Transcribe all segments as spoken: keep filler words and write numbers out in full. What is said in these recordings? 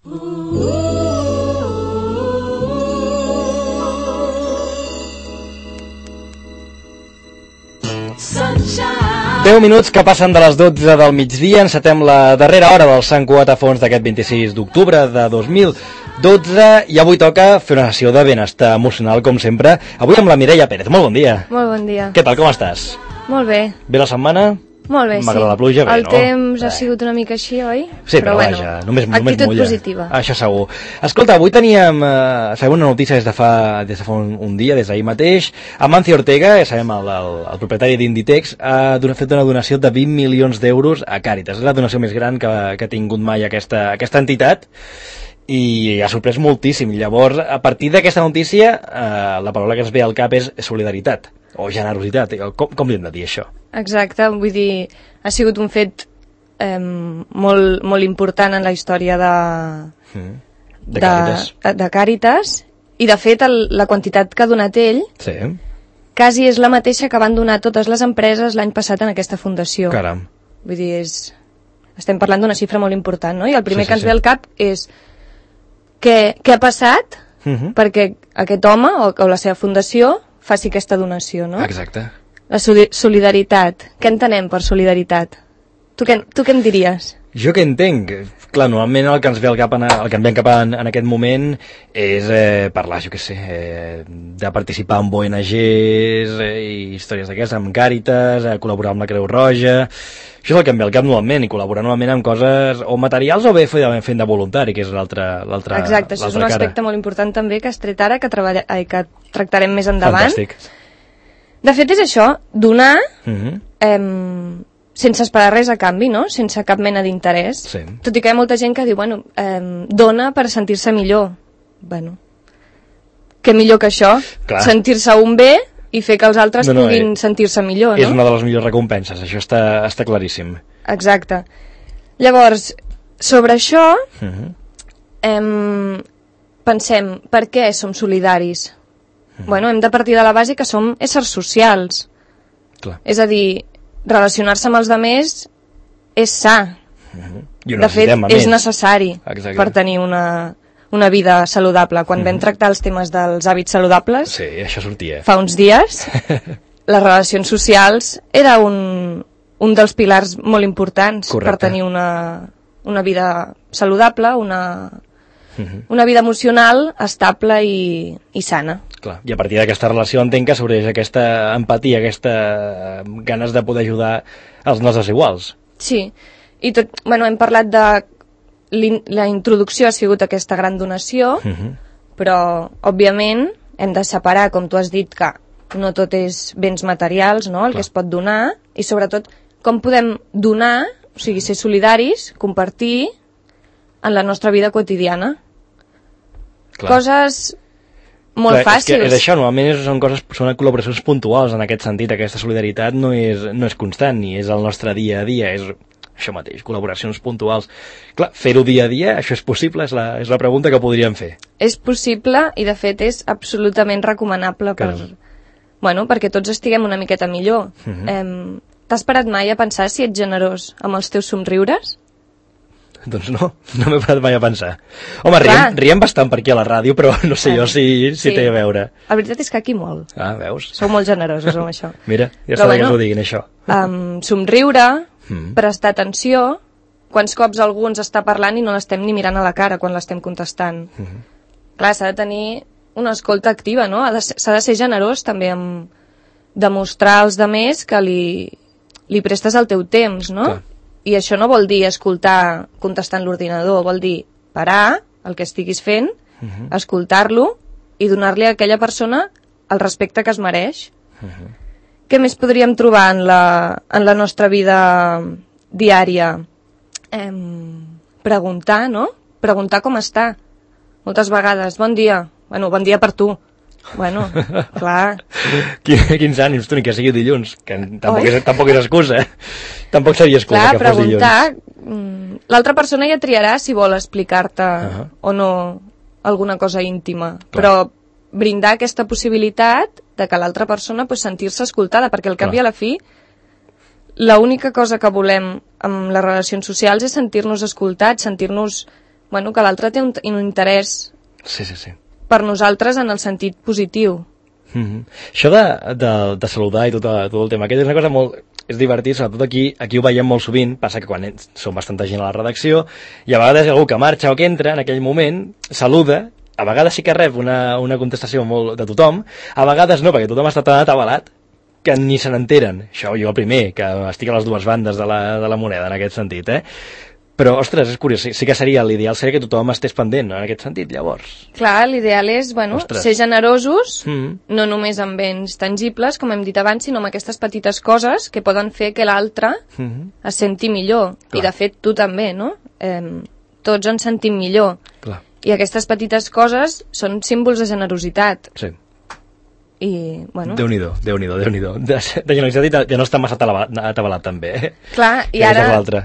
deu minuts que passen de les dotze del migdia, encetem la darrera hora del Sant Cugat a Fons d'aquest vint-i-sis d'octubre de dos mil dotze i avui toca fer una sessió de benestar emocional, com sempre. Avui amb la Mireia Pérez. Molt bon dia. Molt bon dia. Què tal, com estàs? Molt bé. Bé la setmana? Molt bé, sí. M'agrada la pluja, bé, el no? temps eh. ha sigut una mica així, oi? Sí, però, però bueno, vaja, només, només actitud mulla. positiva. Això segur. Escolta, avui teníem, eh, sabem una notícia des de fa, des de fa un, un dia, des d'ahir mateix. Amancio Ortega, ja sabem, el, el, el propietari d'Inditex, ha fet una donació de vint milions d'euros a Càritas. És la donació més gran que, que ha tingut mai aquesta, aquesta entitat i ha sorprès moltíssim. Llavors, a partir d'aquesta notícia, eh, la paraula que ens ve al cap és solidaritat o generositat. Com, com li hem de dir això? Exacte, vull dir, ha sigut un fet eh, molt, molt important en la història de, mm. de, Càritas. de, de Càritas, i de fet el, la quantitat que ha donat ell sí. quasi és la mateixa que van donar totes les empreses l'any passat en aquesta fundació. Caram. Vull dir, és, estem parlant d'una xifra molt important, no? I el primer sí, sí, que ens sí. ve al cap és què, què ha passat mm-hmm. perquè aquest home o, o la seva fundació faci aquesta donació, no? Exacte. La solidaritat. Què entenem per solidaritat? Tu què, tu què em diries? Jo què entenc? Clar, normalment el que ens ve al cap en, el que em ve al cap en, en aquest moment és eh, parlar, jo què sé, eh, de participar en O N Ges eh, i històries d'aquestes, amb Càritas, eh, col·laborar amb la Creu Roja. Això és el que em ve al cap normalment, i col·laborar normalment amb coses o materials o bé fent de voluntari, que és l'altra cara. Exacte, això és un aspecte molt important també que has tret ara, que, treballa, ai, que tractarem més endavant. Fantàstic. De fet és això, donar mm-hmm. eh, sense esperar res a canvi, no? Sense cap mena d'interès. Sí. Tot i que hi ha molta gent que diu, bueno, eh, dona per sentir-se millor. Bueno, què millor que això? Clar. Sentir-se un bé i fer que els altres no, no, puguin eh, sentir-se millor, no? És una de les millors recompenses, això està, està claríssim. Exacte. Llavors, sobre això, mm-hmm. eh, pensem, per què som solidaris? Mm-hmm. Bueno, hem de partir de la base que som éssers socials. Clar. És a dir, relacionar-se amb els altres és sa. Mm-hmm. I ho de fet, és necessari Exacte. Per tenir una, una vida saludable. Quan mm-hmm. vam tractar els temes dels hàbits saludables, sí, això sortia. Fa uns dies, les relacions socials era un, un dels pilars molt importants. Correcte. Per tenir una, una vida saludable, una, mm-hmm. una vida emocional estable i, i sana. Clar. I a partir d'aquesta relació entenc que s'obreix aquesta empatia, aquesta ganes de poder ajudar els nostres iguals. Sí, i tot, bueno, hem parlat de la introducció ha sigut aquesta gran donació, uh-huh. però òbviament hem de separar, com tu has dit, que no tot és béns materials, no? El Clar. Que es pot donar, i sobretot com podem donar, o sigui, ser solidaris, compartir en la nostra vida quotidiana. Clar. Coses molt Clar, fàcils. És, que és això, normalment són coses, són col·laboracions puntuals en aquest sentit. Aquesta solidaritat no és, no és constant ni és el nostre dia a dia, és això mateix, col·laboracions puntuals. Clar, fer-ho dia a dia, això és possible? És la, és la pregunta que podríem fer. És possible i de fet és absolutament recomanable per, bueno, perquè tots estiguem una miqueta millor. Uh-huh. eh, T'has parat mai a pensar si ets generós amb els teus somriures? Doncs no, no m'he parat mai a pensar. Home, riem, riem bastant per aquí a la ràdio, però no sé jo si, si sí. té a veure. La veritat és que aquí molt. Ah, veus? Sou molt generosos amb això. Mira, ja està bé bueno, que ens ho diguin, això. Um, somriure, mm. prestar atenció, quants cops algú ens està parlant i no l'estem ni mirant a la cara quan l'estem contestant. Mm-hmm. Clar, s'ha de tenir una escolta activa, no? S'ha de ser generós també amb demostrar als demés que li, li prestes el teu temps, no? Clar. I això no vol dir escoltar contestant l'ordinador, vol dir parar el que estiguis fent, uh-huh. escoltar-lo i donar-li a aquella persona el respecte que es mereix. Uh-huh. Què més podríem trobar en la, en la nostra vida diària? Eh, preguntar, no? Preguntar com està. Moltes vegades, bon dia. Bueno, bon dia per tu. Bueno, clar. Quins ànims, tu, ni que sigui dilluns, que tampoc és, tampoc és excusa. Tampoc seria excusa clar, que fos dilluns. Clar, preguntar, l'altra persona ja triarà si vol explicar-te uh-huh. o no alguna cosa íntima, clar. Però brindar aquesta possibilitat de que l'altra persona pues, sentir-se escoltada, perquè al cap i a la fi l'única cosa que volem amb les relacions socials és sentir-nos escoltats, sentir-nos bueno, que l'altre té un, un interès sí, sí, sí. per nosaltres en el sentit positiu. Mm-hmm. Això de, de, de saludar i tot, tot el tema aquest és una cosa molt... és divertit, sobretot aquí, aquí ho veiem molt sovint, passa que quan som bastanta gent a la redacció i a vegades algú que marxa o que entra en aquell moment, saluda, a vegades sí que rep una, una contestació molt de tothom, a vegades no, perquè tothom està tan atabalat que ni se n'enteren. Això jo el primer, que estic a les dues bandes de la, de la moneda en aquest sentit, eh? Però, ostres, és curiós, sí, sí que seria l'ideal seria que tothom estés pendent, no? En aquest sentit, llavors. Clar, l'ideal és, bueno, ostres. ser generosos, mm. no només amb béns tangibles, com hem dit abans, sinó amb aquestes petites coses que poden fer que l'altre mm-hmm. es senti millor. Clar. I, de fet, tu també, no? Eh, tots ens sentim millor. Clar. I aquestes petites coses són símbols de generositat. Sí. I, bueno... Déu-n'hi-do, Déu-n'hi-do, Déu-n'hi-do. De, de generositat i de no estar massa atabalat, atabalat també. Eh? Clar, i ara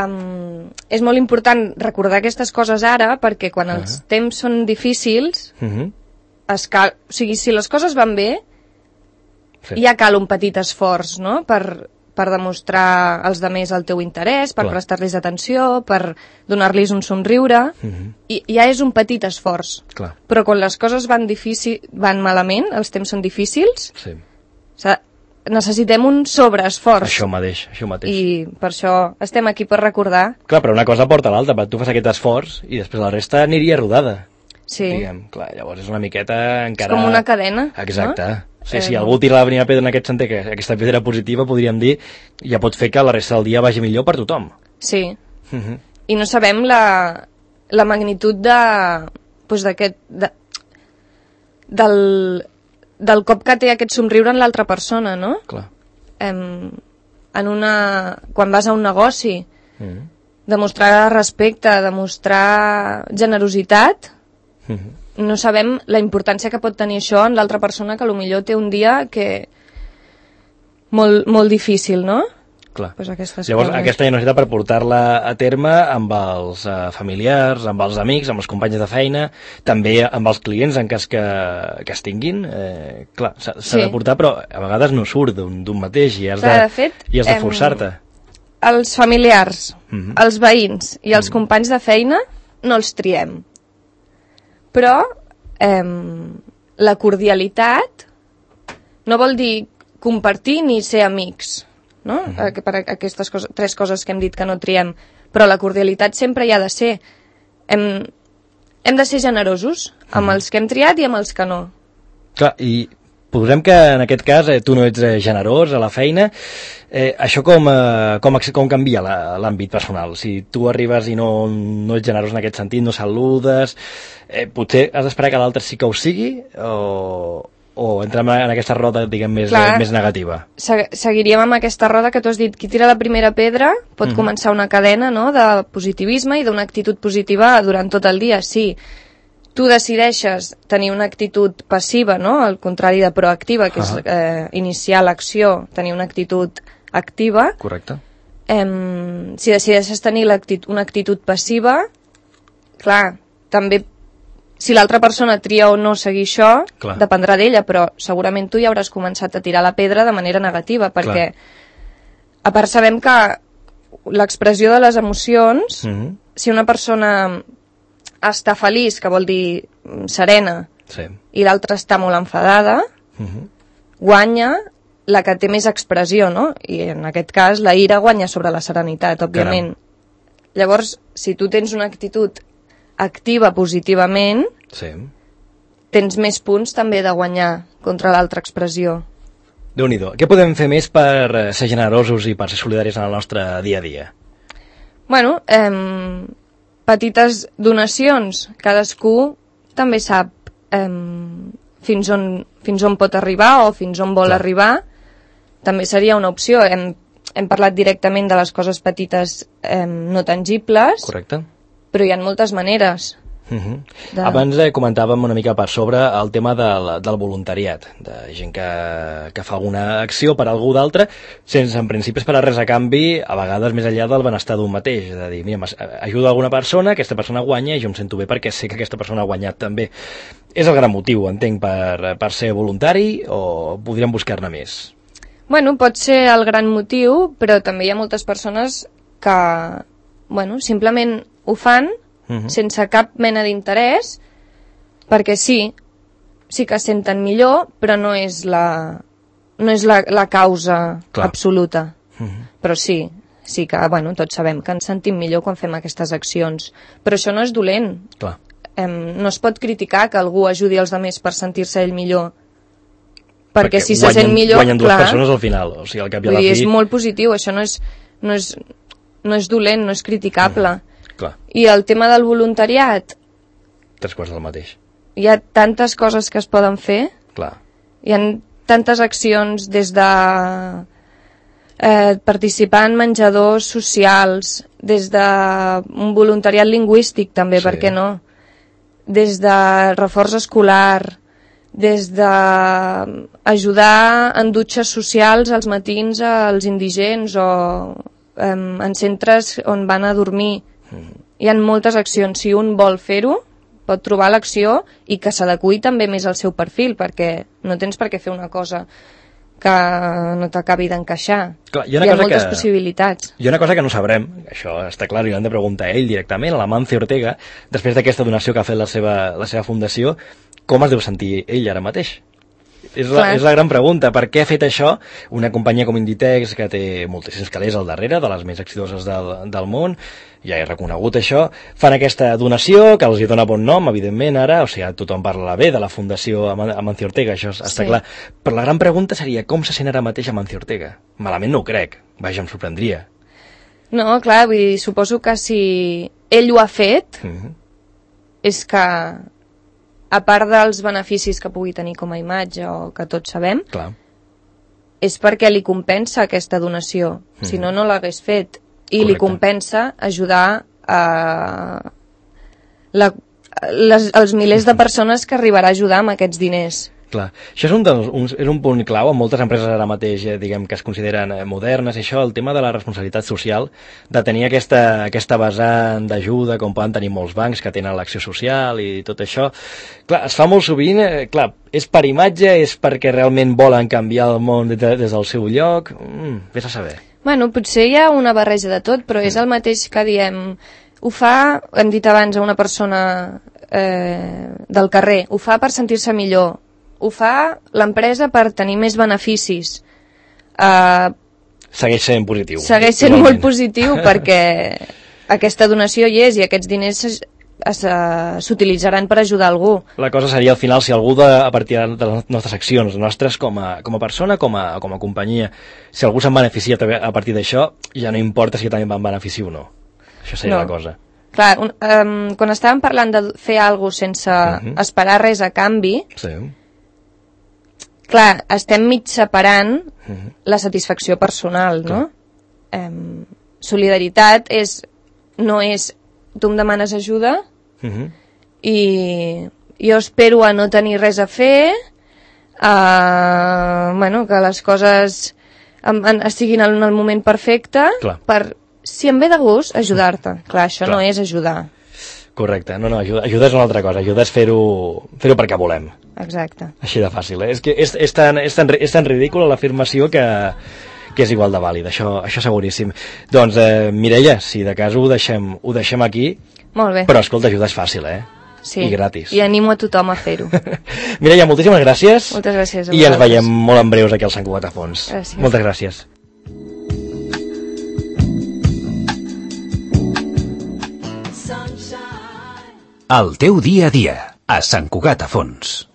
um, és molt important recordar aquestes coses ara, perquè quan uh -huh. els temps són difícils, uh -huh. es cal... o sigui, si les coses van bé, sí. ja cal un petit esforç, no?, per, per demostrar als demés el teu interès, per prestar-los atenció, per donar-los un somriure, uh -huh. i ja és un petit esforç. Clar. Però quan les coses van, difícil, van malament, els temps són difícils, sí. necessitem un sobreesforç. Això mateix, això mateix. I per això estem aquí per recordar. Clar, però una cosa porta l'altra, tu fas aquest esforç i després la resta aniria rodada. Sí. Diguem, clar, llavors és una miqueta encara... És com una cadena. Exacte. No? Sí, eh... si algú tira la primera pedra en aquest sentit, que aquesta pedra positiva, podríem dir, ja pot fer que la resta del dia vagi millor per tothom. Sí. Uh-huh. I no sabem la, la magnitud de... Pues d'aquest... De, del, del cop que té aquest somriure en l'altra persona, no? Clar. Em, en una... Quan vas a un negoci, uh-huh. demostrar respecte, demostrar generositat... Uh-huh. No sabem la importància que pot tenir això en l'altra persona, que potser té un dia que... molt, molt difícil, no? Clar. Pues aquestes Llavors, coses. aquesta generositat per portar-la a terme amb els uh, familiars, amb els amics, amb els companys de feina, també amb els clients en cas que, que es tinguin, eh, clar, s'ha sí. de portar, però a vegades no surt d'un mateix i has clar, de, de, fet, i has de forçar-te. Els familiars, mm-hmm. els veïns i els mm-hmm. companys de feina no els triem. Però eh, la cordialitat no vol dir compartir ni ser amics, no? Uh-huh. Per aquestes coses, tres coses que hem dit que no triem, però la cordialitat sempre hi ha de ser. Hem, hem de ser generosos amb uh-huh. els que hem triat i amb els que no. Clar, i posem que en aquest cas eh, tu no ets eh, generós a la feina, eh, això com, eh, com, com canvia l'àmbit personal? Si tu arribes i no, no ets generós en aquest sentit, no saludes, eh, potser has d'esperar que l'altre sí que ho sigui o, o entrem en aquesta roda, diguem, més, Clar, eh, més negativa? Seguiríem amb aquesta roda que tu has dit, qui tira la primera pedra pot uh-huh. començar una cadena, no?, de positivisme i d'una actitud positiva durant tot el dia, sí. Tu decideixes tenir una actitud passiva, no?, al contrari de proactiva, que uh-huh. és eh, iniciar l'acció, tenir una actitud activa. Correcte. Eh, si decideixes tenir una actitud passiva, clar, també si l'altra persona tria o no seguir això, clar. Dependrà d'ella, però segurament tu ja hauràs començat a tirar la pedra de manera negativa, perquè clar. A part sabem que l'expressió de les emocions, uh-huh. si una persona està feliç, que vol dir serena, sí. i l'altra està molt enfadada, uh-huh. guanya la que té més expressió, no? I en aquest cas la ira guanya sobre la serenitat, òbviament. Caram. Llavors, si tu tens una actitud activa positivament, sí. tens més punts també de guanyar contra l'altra expressió. Déu-n'hi-do. Què podem fer més per ser generosos i per ser solidaris en el nostre dia a dia? Bueno, eh, petites donacions. Cadascú també sap eh, fins, on, fins on pot arribar o fins on vol Clar. Arribar. També seria una opció. Hem, hem parlat directament de les coses petites eh, no tangibles. Correcte. Però hi ha moltes maneres. Uh-huh. De... Abans eh, comentàvem una mica per sobre el tema del, del voluntariat, de gent que, que fa alguna acció per algú d'altre, sense en principi esperar res a canvi, a vegades més enllà del benestar d'un mateix, és a dir, mira, ajuda alguna persona, aquesta persona guanya i jo em sento bé perquè sé que aquesta persona ha guanyat també. És el gran motiu, entenc, per, per ser voluntari o podríem buscar-ne més? Bueno, pot ser el gran motiu, però també hi ha moltes persones que, bueno, simplement ho fan uh-huh. sense cap mena d'interès, perquè sí, sí que es senten millor, però no és la, no és la, la causa Clar. absoluta. Uh-huh. Però sí, sí que, bueno, tots sabem que ens sentim millor quan fem aquestes accions. Però això no és dolent. Clar. Em, no es pot criticar que algú ajudi els altres per sentir-se ell millor. Perquè, perquè si guanyen, se sent millor... Guanyen dues clar, persones al final. O sigui, al cap i a la fi... fi... És molt positiu, això no és, no és, no és dolent, no és criticable. Mm, clar. I el tema del voluntariat... Tres quarts del mateix. Hi ha tantes coses que es poden fer. Clar. Hi ha tantes accions des de... Eh, participar en menjadors socials, des de un voluntariat lingüístic també, sí. per què no? Des de reforç escolar, des de ajudar en dutxes socials als matins als indigents o eh, en centres on van a dormir. Mm. Hi ha moltes accions. Si un vol fer-ho, pot trobar l'acció i que s'adeqüi també més al seu perfil, perquè no tens per què fer una cosa que no t'acabi d'encaixar. Clar, hi ha, hi ha moltes que, possibilitats. Hi ha una cosa que no sabrem, això està clar, i l'hem de preguntar a ell directament, a l'Amancio Ortega, després d'aquesta donació que ha fet la seva, la seva fundació, com es deu sentir ell ara mateix? És la, és la gran pregunta. Per què ha fet això una companyia com Inditex, que té moltíssims calés al darrere, de les més exitoses del, del món, ja he reconegut això, fan aquesta donació, que els hi dona bon nom, evidentment, ara, o sigui, tothom parla bé de la Fundació Amancio Ortega, això està sí. clar. Però la gran pregunta seria, com se sent ara mateix Amancio Ortega? Malament no ho crec, vaja, em sorprendria. No, clar, vull dir, suposo que si ell ho ha fet, mm-hmm. és que... a part dels beneficis que pugui tenir com a imatge o que tots sabem, Clar. és perquè li compensa aquesta donació. Mm. Si no, no l'hagués fet. I Correcte. Li compensa ajudar a la, les, els milers de persones que arribarà a ajudar amb aquests diners. Clar. Això és un, dels, un, és un punt clau en moltes empreses ara mateix, eh, diguem, que es consideren eh, modernes, i això, el tema de la responsabilitat social, de tenir aquesta, aquesta vessant d'ajuda, com poden tenir molts bancs que tenen l'acció social i tot això. Clar, es fa molt sovint, eh, clar, és per imatge, és perquè realment volen canviar el món des, de, des del seu lloc, mm, vés a saber. Bueno, potser hi ha una barreja de tot, però mm. és el mateix que diem, ho fa, hem dit abans, a una persona eh, del carrer, ho fa per sentir-se millor, ho fa l'empresa per tenir més beneficis. Uh, segueix sent positiu. Segueix sent igualment. Molt positiu perquè aquesta donació hi és i aquests diners s'utilitzaran per ajudar algú. La cosa seria al final si algú de, a partir de les nostres accions, nostres com a, com a persona, com a, com a companyia, si algú se'n beneficia a partir d'això, ja no importa si també van beneficiar o no. Això seria no. la cosa. Clar, un, um, quan estàvem parlant de fer alguna cosa sense uh-huh. esperar res a canvi, sí. clar, estem mig separant uh-huh. la satisfacció personal, no? Um, solidaritat és, no és tu em demanes ajuda uh-huh. i jo espero a no tenir res a fer, uh, bueno, que les coses en, en, estiguin en el moment perfecte, clar. Per, si em ve de gust, ajudar-te. Clar, això clar. No és ajudar. Correcte, no, no, ajuda, ajuda és una altra cosa, ajuda és fer-ho fer-ho perquè volem. Exacte. Així de fàcil, eh? És que és, és, tan, és, tan, és tan ridícula l'afirmació que, que és igual de vàlid, això, això seguríssim. Doncs, eh, Mireia, si de cas ho deixem, ho deixem aquí, molt bé. Però escolta, ajudar és fàcil, eh? Sí. I gratis. I animo a tothom a fer-ho. Mireia, moltíssimes gràcies. Moltes gràcies a I ens veiem molt en breus aquí al Sant Cugat a Fons. Gràcies. Moltes gràcies. El teu dia a dia, a Sant Cugat a Fons.